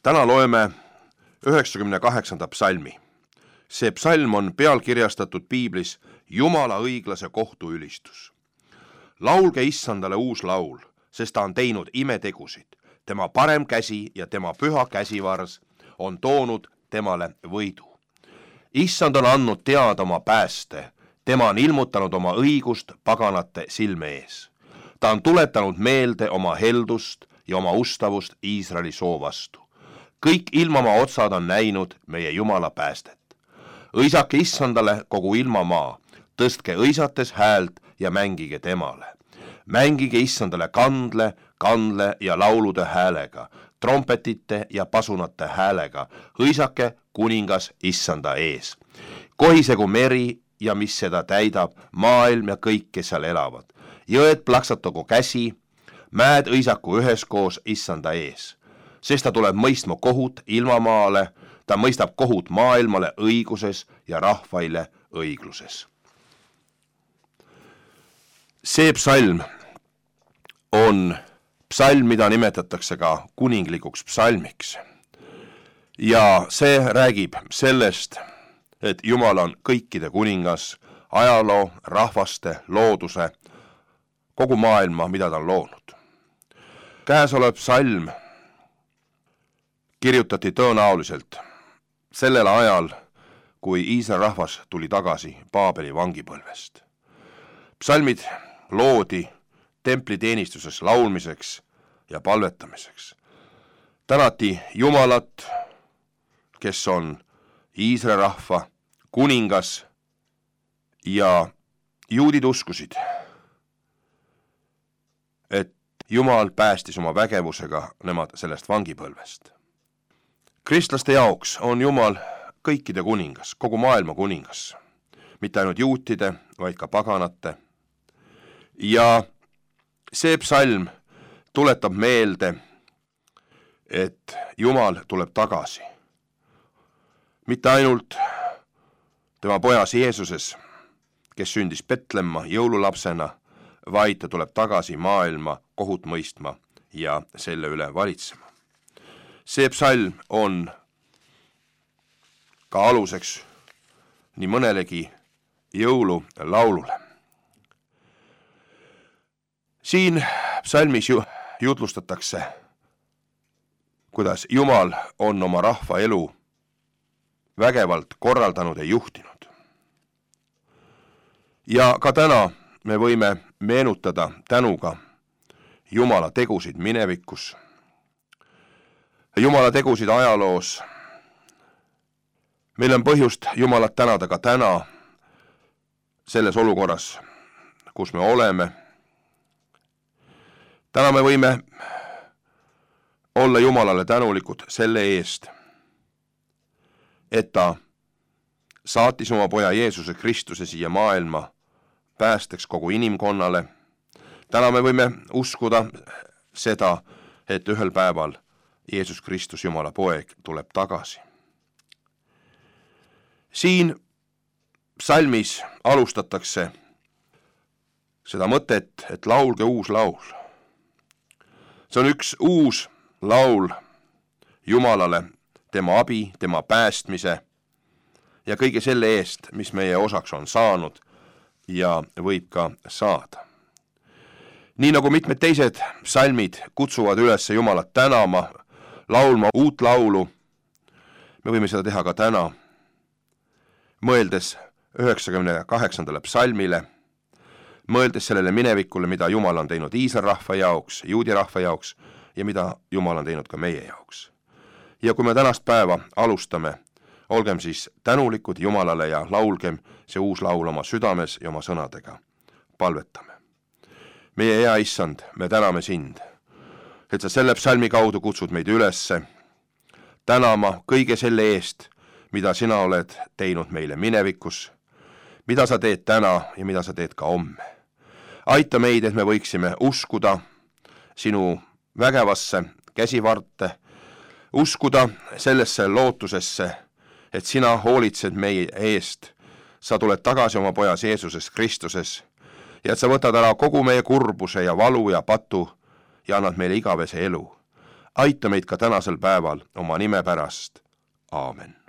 Täna loeme 98. psalmi. See psalm on pealkirjastatud piiblis Jumala õiglase kohtu ülistus. Laulge Issandale uus laul, sest ta on teinud imetegusid. Tema parem käsi ja tema püha käsivars on toonud temale võidu. Issand on andnud teada oma pääste, tema on ilmutanud oma õigust paganate silme ees. Ta on tuletanud meelde oma heldust ja oma ustavust Iisraeli soo vastu. Kõik ilmamaa otsad on näinud meie Jumala päästet. Õisake Issandale kogu ilmamaa, tõstke õisates häält ja mängige temale. Mängige Issandale kandle ja laulude häälega, trompetite ja pasunate häälega, õisake kuningas Issanda ees. Kohisegu meri ja mis seda täidab, maailm ja kõik, kes seal elavad. Jõed plaksatagu käsi, mäed õisaku üheskoos Issanda ees. Sest ta tuleb mõistma kohut ilmamaale, ta mõistab kohut maailmale õiguses ja rahvaile õigluses. See psalm on psalm, mida nimetatakse ka kuninglikuks psalmiks. Ja see räägib sellest, et Jumal on kõikide kuningas, ajaloo, rahvaste, looduse, kogu maailma, mida ta on loonud. Käesolev psalm kirjutati tõenäoliselt sellel ajal, kui Iisraeli rahvas tuli tagasi Paabeli vangipõlvest. Psalmid loodi templiteenistuses laulmiseks ja palvetamiseks. Tänati Jumalat, kes on Iisraeli rahva kuningas, ja juudid uskusid, et Jumal päästis oma vägevusega nemad sellest vangipõlvest. Kristlaste jaoks on Jumal kõikide kuningas, kogu maailma kuningas, mitte ainult juutide, vaid ka paganate. Ja see psalm tuletab meelde, et Jumal tuleb tagasi. Mitte ainult tema pojas Jeesuses, kes sündis Betlemma jõululapsena, vaid ta tuleb tagasi maailma kohut mõistma ja selle üle valitsema. See psalm on ka aluseks nii mõnelegi jõululaulule. Siin psalmis jutlustatakse, kuidas Jumal on oma rahva elu vägevalt korraldanud ja juhtinud. Ja ka täna me võime meenutada tänuga Jumala tegusid minevikus, Jumala tegusid ajaloos. Meil on põhjust Jumalat tänada ka täna selles olukorras, kus me oleme. Täna me võime olla Jumalale tänulikud selle eest, et ta saatis oma poja Jeesuse Kristuse siia maailma päästeks kogu inimkonnale. Täna me võime uskuda seda, et ühel päeval Jeesus Kristus, Jumala poeg, tuleb tagasi. Siin psalmis alustatakse seda mõtet, et laulge uus laul. See on üks uus laul Jumalale, tema abi, tema päästmise ja kõige selle eest, mis meie osaks on saanud ja võib ka saada. Nii nagu mitmed teised psalmid kutsuvad üles Jumalat tänama, laulma uut laulu, me võime seda teha ka täna, mõeldes 98. psalmile, mõeldes sellele minevikule, mida Jumal on teinud Iisraeli rahva jaoks, juudi rahva jaoks ja mida Jumal on teinud ka meie jaoks. Ja kui me tänast päeva alustame, olgem siis tänulikud Jumalale ja laulgem see uus laul oma südames ja oma sõnadega. Palvetame. Meie hea Issand, me täname sind, et sa selle psalmi kaudu kutsud meid ülesse tänama kõige selle eest, mida sina oled teinud meile minevikus, mida sa teed täna ja mida sa teed ka homme. Aita meid, et me võiksime uskuda sinu vägevasse käsivarte, uskuda sellesse lootusesse, et sina hoolitsed meie eest, sa tuled tagasi oma pojas Jeesuses Kristuses ja et sa võtad ära kogu meie kurbuse ja valu ja patu ja annad meile igavese elu. aita meid ka tänasel päeval oma nime pärast. Aamen.